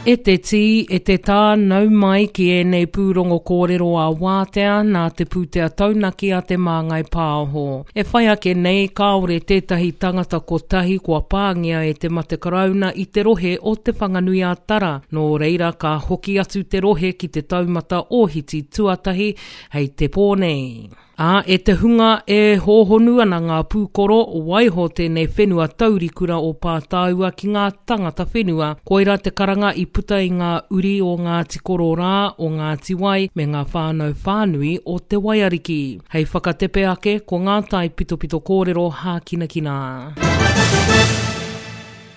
E te tī, e te tā, nau mai ki ēnei pūrongo kōrero ā-wātea nā te pūtea taunaki a Te Māngai Pāho. E whai ake nei, kāore tētahi tangata kotahi kua pāngia e te mate karauna i te rohe o Te Whanganui-a-Tara, nō reira ka hoki atu te rohe ki te taumata ōhiti tuatahi hei te pō nei. Ā, e te hunga e hōhonu ana ngā pūkoro, waiho tēnei whenua taurikura o Pātāua ki ngā tangata whenua. Koirā te karanga i puta i ngā uri o Ngāti Kororā, o Ngāti Wai, me ngā whānau whānui o Te Waiariki. Hei whakatepe ake, ko ngā taipitopito kōrero hākinakina.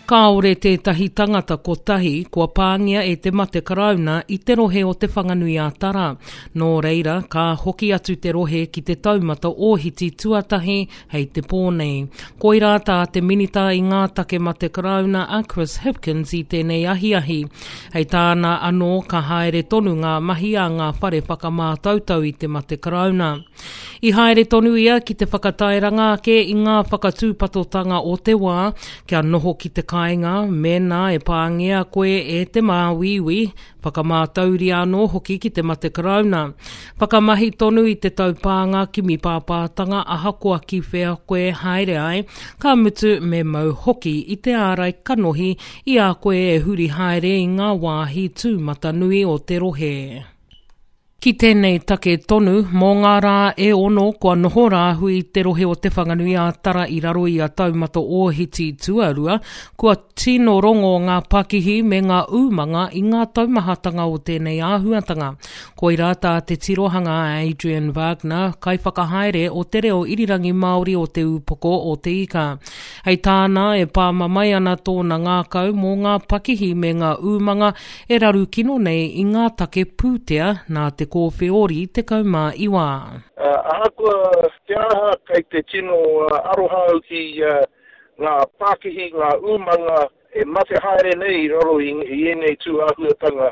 Kāore tētahi tangata kotahi kua pāngia e te mate karauna i te rohe o Te Whanganui-a-Tara. Nō reira, ka hoki atu te rohe ki te taumata ōhiti tuatahi hei te pō nei. Koirā tā te Minita i ngā Take Mate Karauna a Chris Hipkins i tēnei ahiahi. Hei tāna anō ka haere tonu ngā mahi a ngā whare whakamātautau i te mate karauna. I haere tonu ia ki te whakatairanga ake i ngā whakatūpatotanga o te wā kia noho ki te kāinga mēnā e pāngia koe e te māuiui, whakamātauria anō hoki ki te mate karauna. Whakamahi tonu i te taupānga kimi pāpātanga ahakoa ki whea koe haere ai, ka mutu me mau hoki i te ārai kanohi i a koe e huri haere i ngā wāhi tūmatanui o te rohe. Ki tēnei take tonu, mō ngā rā e ono kua noho rāhui te rohe o Te Whanganui-ā-Tara i raro i a Taumata Ōhiti Tuarua, kua tino rongo ngā pakihi me ngā umanga i ngā taumahatanga o tēnei āhuatanga. Koirā tā te tirohanga a Adrian Wagner, kaiwhakahaere o Te Reo Irirangi Māori o Te Ūpoko o Te Ika. Hei tāna, e pāmamae ana tōna ngākau mō ngā pakihi me ngā umanga e raru kino nei i ngā take pūtea nā te kōwheori 19. Ahakoa te aha, kei te tino aroha au ki ngā pākihi, ngā umanga e mate haere nei i raro i ēnei tū āhuatanga.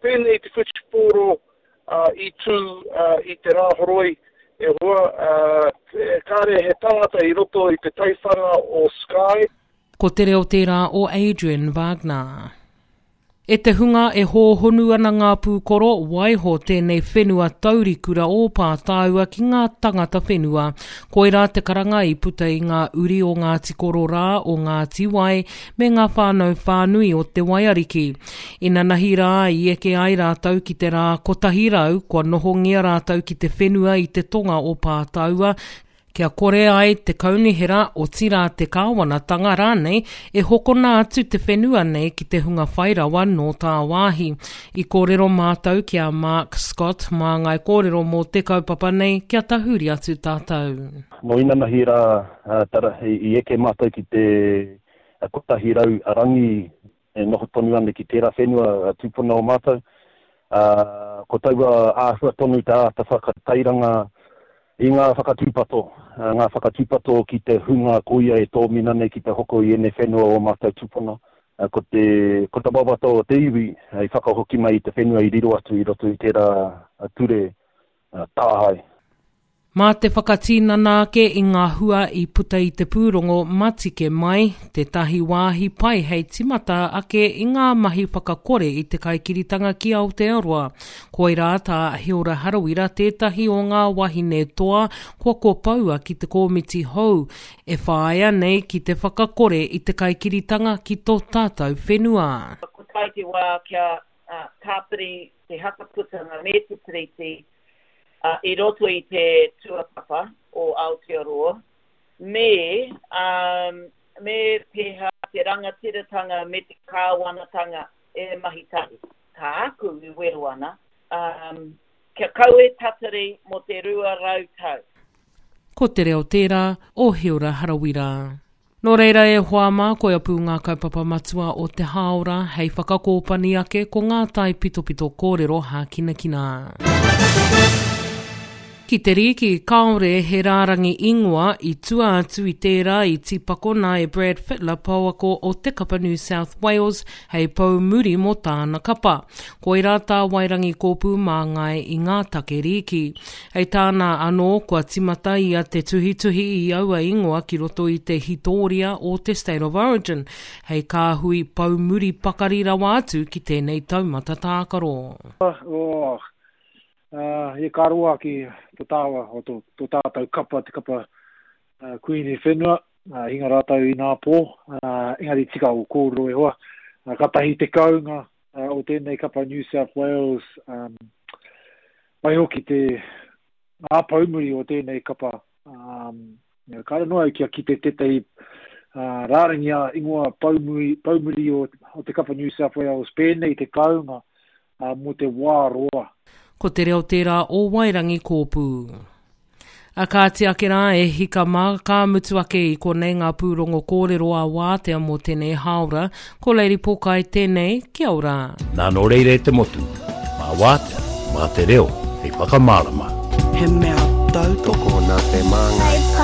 Pēnei te whutupōro i tū i te Rāhoroi, e hoa, kāre he tangata i roto i te taiwhanga o Sky. Ko te reo tērā o Adrian Wagner. E te hunga e hōhonu ana ngā pūkoro, waiho tēnei whenua taurikura o Pātāua ki ngā tangata whenua. Koirā te karanga i puta i ngā uri o Ngāti Kororā, o Ngāti Wai, me ngā whānau whānui o Te Waiariki. Inanahi rā i eke ai rātou ki te rā 100 kua nohongia rātou ki te whenua i te tonga o Pātāua, kia kore ai te kaunihera, otirā te kāwanatanga rānei, e hokona atu te whenua nei ki te hunga whai rawa nō tāwāhi. I kōrero mātou ki a Mark Scott, māngai kōrero mō te kaupapa nei, kia tahuri atu tātou. Nō inanahi rā, tara, i eke mātou ki te 100 rangi e noho tonu ana ki tērā whenua tūpuna o mātou. Ā, ko taua āhua tonu te āta whakatairanga i ngā whakatūpato, ngā whakatūpato ki te hunga koia e tōmina nei ki te hoko i ēnei whenua o mātou tūpuna. Ko te, ko te wawata o te iwi hei whakahoki mai i te whenua i riro atu i roto i tērā ture tāhae. Mā te whakatinana ake i ngā hua i puta i te pūrongo Matike Mai, tētahi wāhi pai hei timata ake i ngā mahi whakakore i te kaikiritanga ki Aotearoa. Koirā tā Hilda Harawira tētahi o ngā wahine toa kua kopoua ki te kōmiti hou e whāia nei ki te whakakore i te kaikiritanga ki tō tātou whenua. Kua tae te wā kia tāpiri te hakaputanga me te Tiriti i roto i te tuapapa o Aotearoa, me, me pēhea te rangatiratanga me te kāwanatanga e mahi tahi. Tāku i wero ana, kia kaua e tatari mō te 200 tau. Ko te reo tērā o Heora Harawira. Nō reira e hoa mā, koia pū ngā kaupapa matua o te hāora hei whakakōpani ake ko ngā taipitopito kōrero hākinakina. Ki te rīki, kāore he rārangi ingoa i tua atu i tērā i tīpakona e Brad Fittler pouako o te kapa New South Wales hei pou muri mō tāna kapa. Koirā tā Wairangi Kōpū māngai i ngā take rīki. Hei tāna anō, kua tīmata ia te tuhituhi i aua ingoa ki roto i te hitōria o te State of Origin hei kāhui pou muri pakari rawa atu ki tēnei taumata tākaro. Oh, Ā, ka roa ki to tāua, o to, to tātou kapa, te kapa uh, Kuini Whenua, uh, hinga rātou i nā pō, uh, engari tika o kōrero e hoa. Uh, katahi te kaunga uh, o tēnei kapa New South Wales, um, waihoki te ngā poumuri o tēnei kapa um, Kāre noa au kia kite tētahi uh, rārangi a ingoa poumuri, poumuri o, o te kapa New South Wales pēnei te kaunga uh, mō te wā roa. Ko te reo tērā o Wairangi Kōpū. A kāti ake rā e hika mā, ka mutu ake i konei ngā pūrongo kōrero a Wātea mō tēnei hāora. Ko Lady Pokai tēnei, kia ora. Nā nō reira e te motu, mā Wātea, mā te reo hei whakamārama. He mea tautoko nā te Māngai.